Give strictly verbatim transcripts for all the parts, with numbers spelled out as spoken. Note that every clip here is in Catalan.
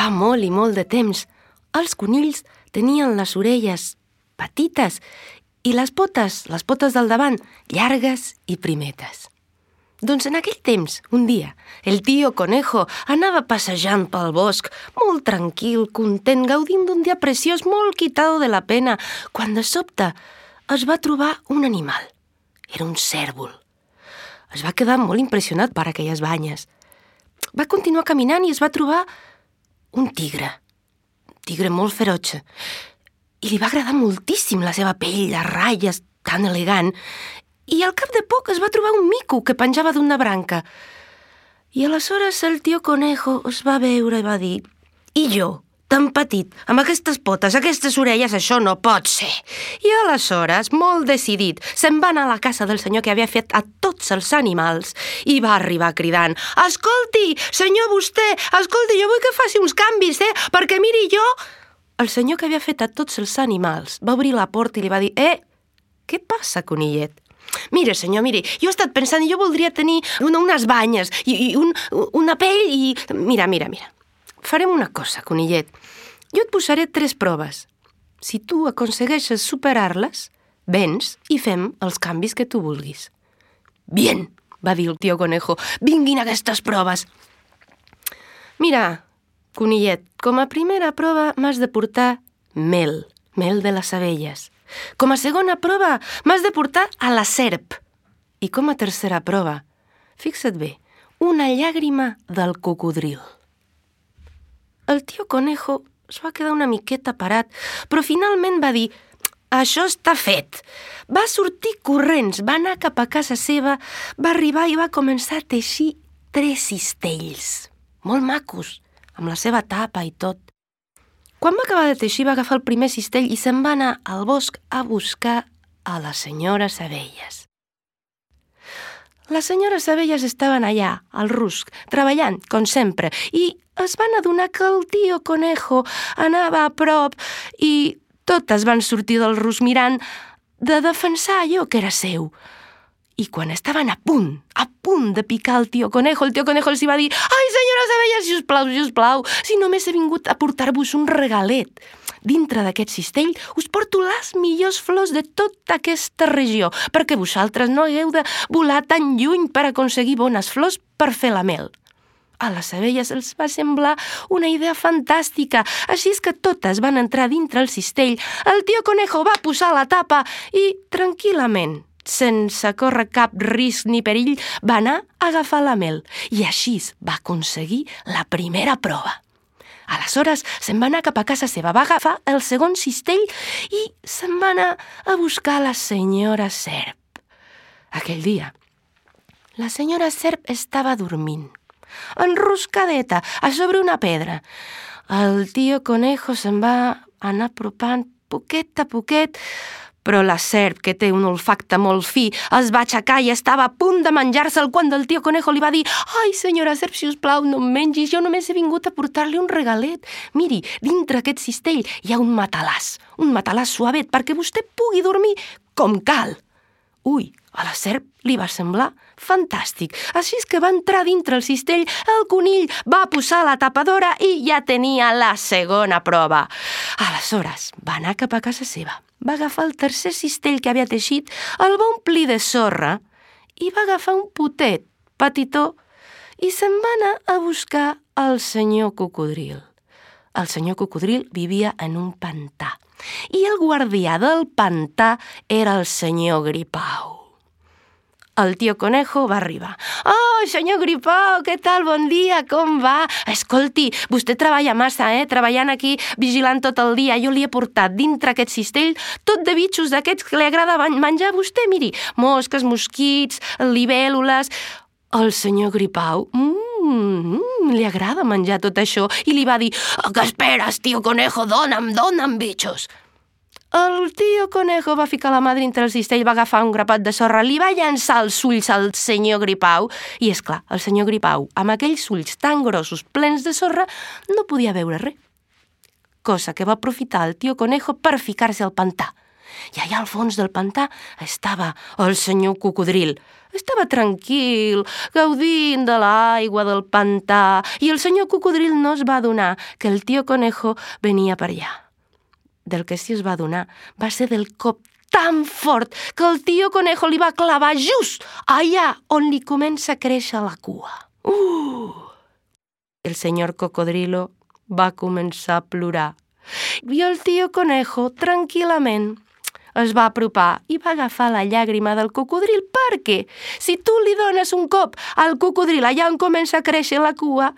Fa molt i molt de temps, els conills tenien les orelles petites i les potes, les potes del davant, llargues i primetes. Doncs en aquell temps, un dia, el tio Conejo anava passejant pel bosc, molt tranquil, content, gaudint d'un dia preciós, molt quitado de la pena, quan de sobte es va trobar un animal. Era un cèrvol. Es va quedar molt impressionat per aquelles banyes. Va continuar caminant i es va trobar un tigre. Un tigre molt ferotge. I li va agradar moltíssim la seva pell, les ratlles, tan elegant. I al cap de poc es va trobar un mico que penjava d'una branca. I aleshores el tio Conejo es va veure i va dir: «I jo, tan petit, amb aquestes potes, aquestes orelles, això no pot ser». I aleshores, molt decidit, se'n va anar a la casa del senyor que havia fet a tots els animals i va arribar cridant: «Escolti, senyor vostè, escolti, jo vull que faci uns canvis, eh? Perquè miri jo...» El senyor que havia fet a tots els animals va obrir la porta i li va dir: «Eh, què passa, conillet? Mire, senyor, mire, jo he estat pensant i jo voldria tenir una, unes banyes i, i un, una pell i... Mira, mira, mira. Farem una cosa, conillet. Jo et posaré tres proves. Si tu aconsegueixes superar-les, vens i fem els canvis que tu vulguis». «Bien», va dir el tio Conejo, «vinguin aquestes proves». «Mira, conillet, com a primera prova m'has de portar mel, mel de les abelles. Com a segona prova m'has de portar a la serp. I com a tercera prova, fixa't bé, una llàgrima del cocodril». El tio Conejo es va quedar una miqueta parat, però finalment va dir: «Això està fet». Va sortir corrents, va anar cap a casa seva, va arribar i va començar a teixir tres cistells, molt macos, amb la seva tapa i tot. Quan va acabar de teixir va agafar el primer cistell i se'n va anar al bosc a buscar a les senyores abelles. Les senyores abelles estaven allà, al rusc, treballant, com sempre, i es van adonar que el tio Conejo anava a prop i totes van sortir del rusc mirant de defensar allò que era seu. I quan estaven a punt, a punt de picar el tio Conejo, el tio Conejo els va dir: «Ai, senyores abelles, sisplau, sisplau, si només he vingut a portar-vos un regalet. Dintre d'aquest cistell us porto les millors flors de tota aquesta regió, perquè vosaltres no hagueu de volar tan lluny per aconseguir bones flors per fer la mel». A les abelles els va semblar una idea fantàstica, així és que totes van entrar dintre el cistell, el tio Conejo va posar la tapa i, tranquil·lament, sense córrer cap risc ni perill, va anar a agafar la mel i així va aconseguir la primera prova. Aleshores se'n va anar cap a casa seva, va agafar el segon cistell i se'n va anar a buscar la senyora serp. Aquell dia, la senyora serp estava dormint, enroscadeta, a sobre una pedra. El tio Conejo se'n va anar apropant poquet a poquet, però la serp, que té un olfacte molt fi, es va aixecar i estava a punt de menjar-se'l quan el tio Conejo li va dir: «Ai, senyora serp, si us plau, no em mengis, jo només he vingut a portar-li un regalet. Miri, dintre aquest cistell hi ha un matalàs, un matalàs suavet, perquè vostè pugui dormir com cal». Ui, a la serp li va semblar fantàstic. Així és que va entrar dintre el cistell, el conill va posar la tapadora i ja tenia la segona prova. Aleshores, va anar cap a casa seva, va agafar el tercer cistell que havia teixit, el va omplir de sorra i va agafar un potet petitó i se'n va anar a buscar el senyor cocodril. El senyor cocodril vivia en un pantà i el guardià del pantà era el senyor Gripau. El tio Conejo va arribar. «Oh, senyor Gripau, què tal? Bon dia, com va? Escolti, vostè treballa massa, eh? Treballant aquí, vigilant tot el dia. Jo li he portat dintre aquest cistell tot de bitxos d'aquests que li agrada menjar a vostè. Miri, mosques, mosquits, libèl·lules...» El senyor Gripau, mmm, li agrada menjar tot això i li va dir: «Què esperes, tio Conejo? Dóna'm, dóna'm bitxos». El tio Conejo va ficar la mà dintre el cistell, va agafar un grapat de sorra, li va llançar els ulls al senyor Gripau i, és clar, el senyor Gripau, amb aquells ulls tan grossos, plens de sorra, no podia veure res. Cosa que va aprofitar el tio Conejo per ficar-se al pantà. I allà al fons del pantà estava el senyor cocodril. Estava tranquil, gaudint de l'aigua del pantà, i el senyor cocodril no es va adonar que el tio Conejo venia per allà. Del que sí es va adonar va ser del cop tan fort que el tio Conejo li va clavar just allà on li comença a créixer la cua. Uh! El senyor Cocodrilo va començar a plorar. I el tio Conejo, tranquil·lament, es va apropar i va agafar la llàgrima del cocodril, perquè si tu li dones un cop al cocodril allà on comença a créixer la cua,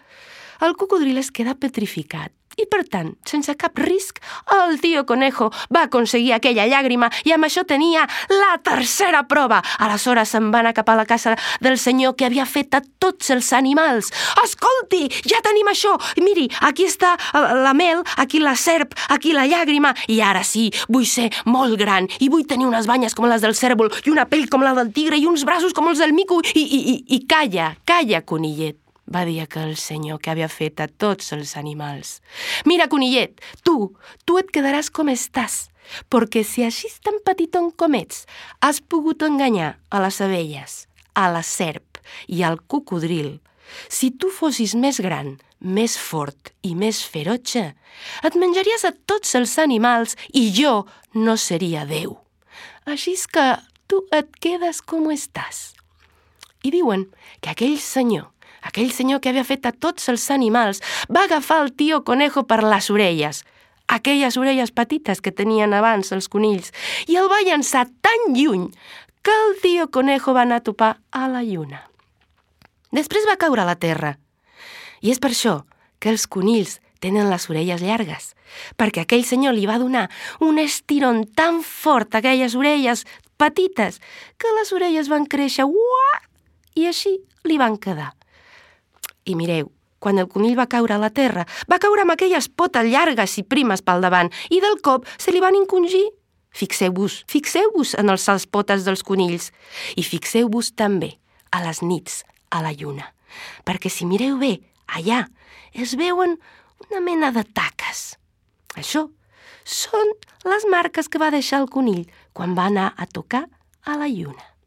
el cocodril es queda petrificat. I, per tant, sense cap risc, el tio Conejo va aconseguir aquella llàgrima i amb això tenia la tercera prova. Aleshores se'n va anar cap a la casa del senyor que havia fet a tots els animals. Escolti, ja tenim això! Miri, aquí està la mel, aquí la serp, aquí la llàgrima, i ara sí, vull ser molt gran i vull tenir unes banyes com les del cérvol i una pell com la del tigre i uns braços com els del mico i, i, i, i calla, calla, conillet, va dir aquell senyor que havia fet a tots els animals. Mira, conillet, tu, tu et quedaràs com estàs, perquè si així tan petiton com ets has pogut enganyar a les abelles, a la serp i al cocodril, si tu fossis més gran, més fort i més ferotge, et menjaries a tots els animals i jo no seria Déu. Així és que tu et quedes com estàs. I diuen que aquell senyor Aquell senyor que havia fet a tots els animals va agafar el tio Conejo per les orelles, aquelles orelles petites que tenien abans els conills, i el va llançar tan lluny que el tio Conejo va anar a topar a la lluna. Després va caure a la terra. I és per això que els conills tenen les orelles llargues, perquè aquell senyor li va donar un estirón tan fort a aquelles orelles petites que les orelles van créixer uah, i així li van quedar. I mireu, quan el conill va caure a la terra, va caure amb aquelles potes llargues i primes pel davant i del cop se li van encongir. Fixeu-vos, fixeu-vos en els potes dels conills i fixeu-vos també a les nits a la lluna, perquè si mireu bé, allà es veuen una mena de taques. Això són les marques que va deixar el conill quan va anar a tocar a la lluna.